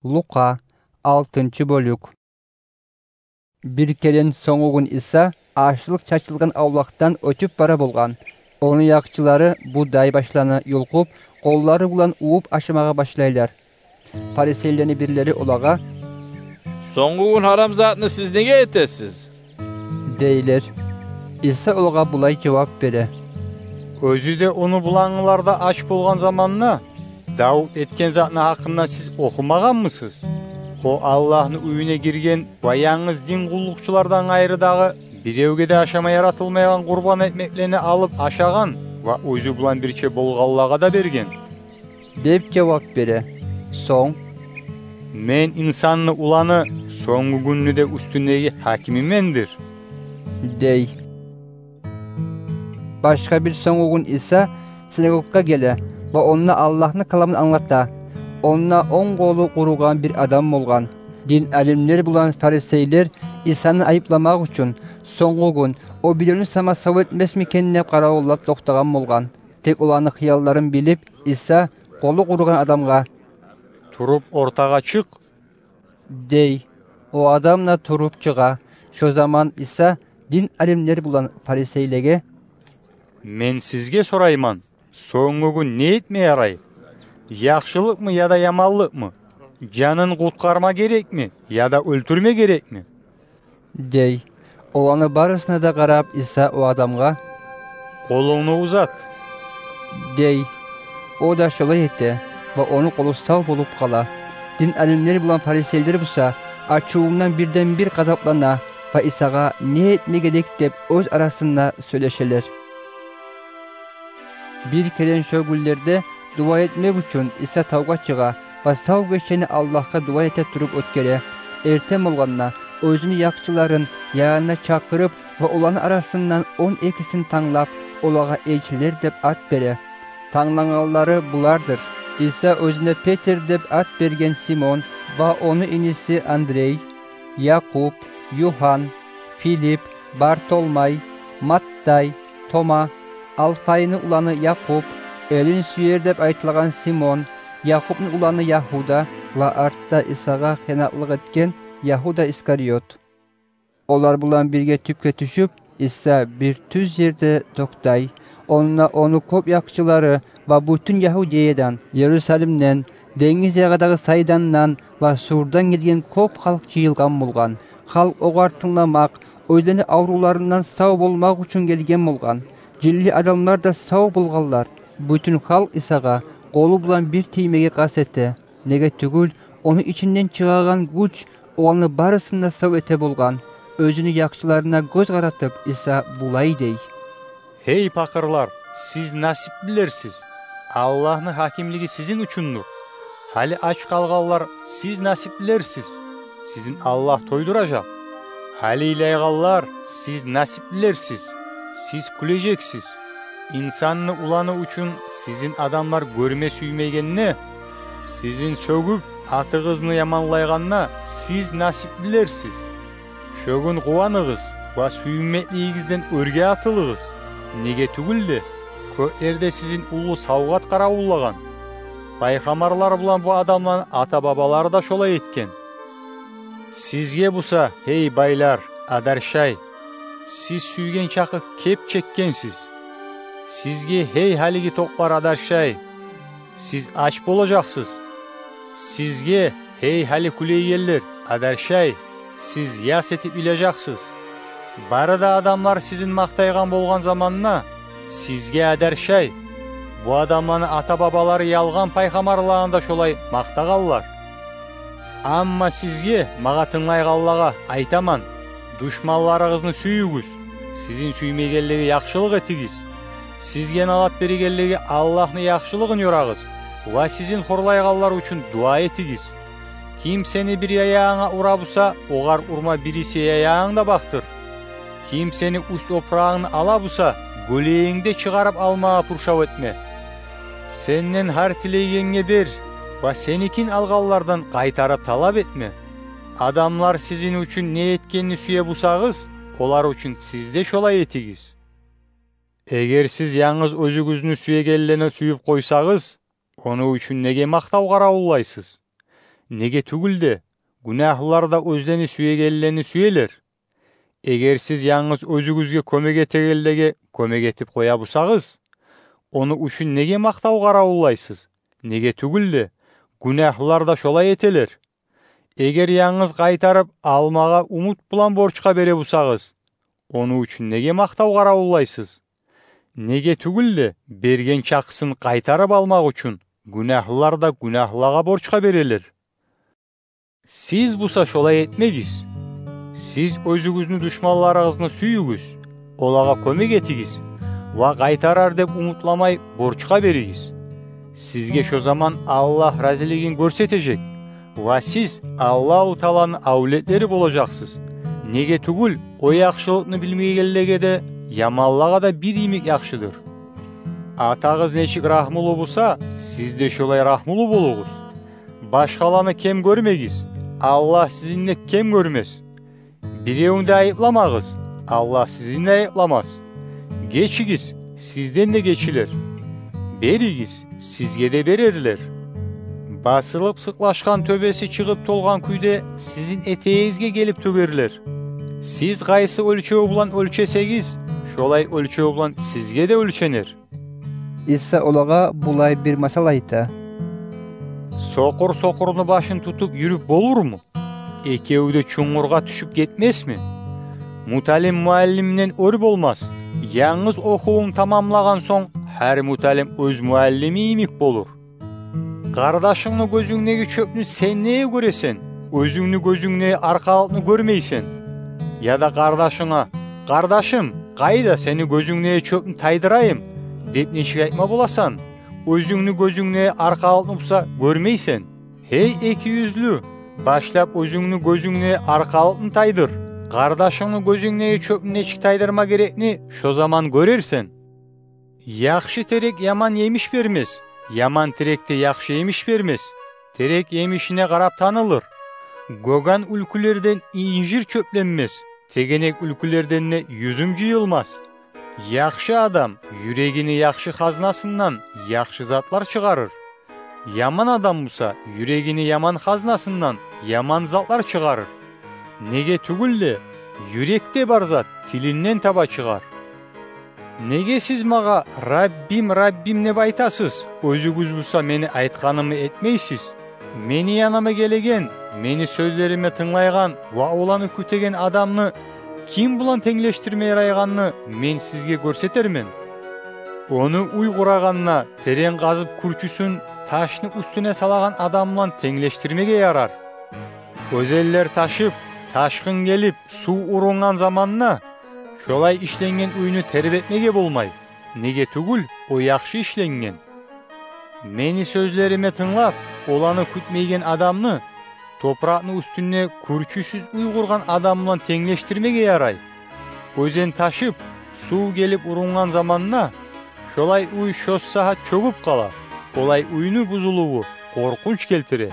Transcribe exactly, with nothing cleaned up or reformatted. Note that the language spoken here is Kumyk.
Лукъа, алтынчы бёлюк. Бир керен сонгугюн Иса ашлыкъ чачылгъан авлакъдан оьтюп бара болгъан. Ону якъчылары будай башланы юлкъуп, къоллары булан увуп ашамагъа башлайлар. Фарисейлени бирлери олагъа: «Сонгугюн гьарам затны сиз неге этесиз?» – дейлер. Иса олагъа булай жавап бере: «Оьзю де ону булангъылар да ач болгъан заманда Давут этген затны гьакъында сиз охумагъанмысыз? О Аллагьны уьюне гирген ва янгыз дин къуллукъчулардан къайры дагъы биревге де ашама яратылмайгъан къурбан экмеклени алып ашагъан ва оьзю булан бирче болгъанлагъа да берген», – деп жавап бере. Сонг: «Мен, инсанны уланы, сонгугюнню де уьстюндеги гьакими мендир», – дей. Башгъа бир сонгугюн Иса синагогагъа геле ва онда Аллагьны каламын англата. Онда онг къолу къуругъан бир адам болгъан. Дин алимлер булан фарисейлер Исаны айыпламакъ учун, сонгугюн о биревню сама сав этмесмикен деп къаравуллап токътагъан болгъан. Тек оланы хыялларын билип, Иса къолу къуругъан адамгъа: «Туруп ортагъа чыкъ», – дей. О адам да туруп чыгъа. Шо заман Иса дин алимлер булан фарисейлеге: «Мен сизге сорайман, сонгугюн не этме ярай? Яхшылыкъмы яда яманлыкъмы? Жанын къутгъарма герекми яда оьлтюрме герекми?» – дей. Оланы барысына да къарап, Иса о адамгъа: «Къолунгну узат», – дей. О да шолай эте ва ону къолу сав болуп къала. Дин алимлер булан фарисейлер буса ачувундан бирден-бир къазаплана ва Исагъа не этме герек деп оьз арасында сёйлешелер. Бир керен шо гюнлерде дуа этмек учун Иса тавгъа чыгъа ва сав гечени Аллагьгъа дуа эте туруп оьтгере. Эртен болгъанда оьзюню якъчыларын янына чакъырып ва оланы арасындан он экисин танглап, олагъа элчилер деп ат бере. Танглангъанлары булардыр: Иса оьзюне Петр деп ат берген Симон ва ону иниси Андрей, Якъуб, Югьан, Филип, Бартолмай, Маттай, Тома, Алфайны уланы Якъуб, Элин сюер деп айтылагъан Симон, Якъубну уланы Ягьуда ва артда Исагъа хыянатлыкъ этген Ягьуда Искариот. Олар булан бирге тюпге тюшюп, Иса бир тюз ерде токътай. Онда ону кёп якъчылары ва бютюн Ягьудеядан, Ерусалимден, денгиз ягъадагъы Сайдандан ва Сурдан гелген кёп халкъ жыйылгъан болгъан. Халкъ огъар тынгламакъ, оьзлени аврувларындан сав болмакъ учун гелген болгъан. Жинли адамлар да сав болгъанлар. Бютюн халкъ Исагъа къолу булан бир тиймеге къаст эте. Неге тюгюл, ону ичинден чыгъагъан гюч оланы барысын да сав эте болгъан. Оьзюню якъчыларына гёз къаратып, Иса булай дей: «Гьей, пакъырлар, сиз насиплилерсиз, Аллагьны гьакимлиги сизин учундур. Гьали ач къалгъанлар, сиз насиплилерсиз, сизин Аллагь тойдуражакъ. Гьали йылайгъанлар, сиз насиплилерсиз, сиз кюлежексиз. Инсанны уланы учун сизин адамлар гёрме сюймегенде, сизин сёгюп, атыгъызны яманлайгъанда, сиз насиплилерсиз. Шо гюн къуваныгъыз ва сююнмеклигигизден оьрге атылыгъыз. Неге тюгюл де, кёклерде сизин уллу савгъат къаравуллагъан. Пайхаммарлар булан бу адамланы ата-бабалары да шолай этген. Сизге буса, гьей байлар, адаршай, сиз сюйген чакъы кеп чекгенсиз. Сизге, гьей гьалиги токълар, адаршай, сиз ач болажакъсыз. Сизге, гьей гьали кюлейгенлер, адаршай, сиз яс этип йылажакъсыз. Бары да адамлар сизин макътайгъан болгъан заманда, сизге, адаршай, бу адамланы ата-бабалары ялгъан пайхаммарланы да шолай макътагъанлар. Амма сизге, магъа тынглайгъанлагъа, айтаман: душманларыгъызны сююгюз, сизин сюймегенлеге яхшылыкъ этигиз, сизге налат берегенлеге Аллагьны яхшылыгъын ёрагъыз ва сизин хорлайгъанлар учун дуа этигиз. Ким сени бир яягъынга ура буса, огъар урма бириси яягъынгны да бакътыр. Ким сени уьст опурагъынгны ала буса, гёлегингни де чыгъарып алмагъа пуршав этме. Сенден гьар тилейгенге бер ва сеникин алгъанлардан къайтарып талап этме. Адамлар сизин учун не этгенни сюе бусагъыз, олар учун сиз де шолай этигиз. Эгер сиз янгыз оьзюгюзню сюегенлени сююп къойсагъыз, ону учун неге макътав къаравуллайсыз? Неге тюгюл де, гюнагьлылар да оьзлени сюегенлени сюелер. Эгер сиз янгыз оьзюгюзге кёмек этегенлеге кёмек этип къоя бусагъыз, ону учун неге макътав къаравуллайсыз? Неге тюгюл де, гюнагьлылар да шолай этелер. Эгер янгыз къайтарып алмагъа умут булан борчгъа бере бусагъыз, ону учун неге макътав къаравуллайсыз? Неге тюгюл де, берген чакъысын къайтарып алмакъ учун гюнагьлылар да гюнагьлылагъа борчгъа берелер. Сиз буса шолай этмегиз. Сиз оьзюгюзню душманларыгъызны сююгюз, олагъа кёмек этигиз ва къайтарар деп умутламай борчгъа беригиз. Сизге шо заман Аллагь разилигин гёрсетежек ва сиз Аллагьу Тааланы авлетлери болажакъсыз. Неге тюгюл, о яхшылыкъны билмейгенлеге де, яманлагъа да бир йимик яхшыдыр. Атагъыз нечик рагьмулу буса, сиз де шолай рагьмулу болугъуз. Башгъаланы кем гёрмегиз, Аллагь сизин де кем гёрмес. Биревню де айыпламагъыз, Аллагь сизин де айыпламас. Гечигиз, сизден де гечилер. Беригиз, сизге де берерлер. Басылып сыкълашгъан тёбеси чыгъып толгъан кюйде сизин этегигизге гелип тёгерлер. Сиз къайсы оьлчев булан оьлчесегиз, шолай оьлчев булан сизге де оьлченер. Иса олагъа булай бир масал айта: Сокъур сокъурну башын тутуп юрюп болурму? Экеви де чунгургъа тюшюп гетмесми? Муталим муаллимден оьр болмас. Янгыз охувун тамамлагъан сонг, гьар муталим оьз муаллими йимик болур. Къардашынгны гёзюнгдеги чёпню сен неге гёресен, оьзюнгню гёзюнгдеги аркъалыкъны гёрмейсен? Яда къардашынга: «Къардашым, къайда, сени гёзюнгдеги чёпню тайдырайым», – деп нечик айтма боласан, оьзюнгню гёзюнгдеги аркъалыкъны буса гёрмейсен? Гьей экиюзлю, башлап оьзюнгню гёзюнгдеги аркъалыкъны тайдыр. Къардашынгны гёзюнгдеги чёпню нечик тайдырма герекни шо заман гёрерсен. Яхшы терек яман емиш бермес, яман терек де яхшы емиш бермес. Терек емишине къарап танылыр. Гёген уьлкюлерден инжир чёпленмес, тегенек уьлкюлерден де юзюм жыйылмас. Яхшы адам юрегини яхшы хазнасындан яхшы затлар чыгъарыр. Яман адам буса юрегини яман хазнасындан яман затлар чыгъарыр. Неге тюгюл де, юрекде бар зат тилинден таба чыгъар. Неге сиз магъа: «Раббим, Раббим», – деп айтасыз, оьзюгюз буса мени айтгъанымны этмейсиз? Мени яныма гелеген, мени сёзлериме тынглайгъан ва оланы кютеген адамны ким булан тенглешдирме ярайгъанны мен сизге гёрсетермен. Ону уьй къурагъанда терен къазып, кюрчюсюн ташны уьстюне салагъан адам булан тенглешдирмеге ярар. Оьзенлер ташып, ташгъын гелип, сув урунгъан заманда, шолай ишленген уьйню тербетмеге болмай. Неге тюгюл, о яхшы ишленген. Мени сёзлериме тынглап, оланы кютмейген адамны топуракъны уьстюнде кюрчюсюз уьй къургъан адам булан тенглешдирмеге ярай. Оьзен ташып, сув гелип урунгъан заманда, шолай уьй шо сагьат чёгюп къала. Олай уьйню бузулуву къоркъунч гелтире.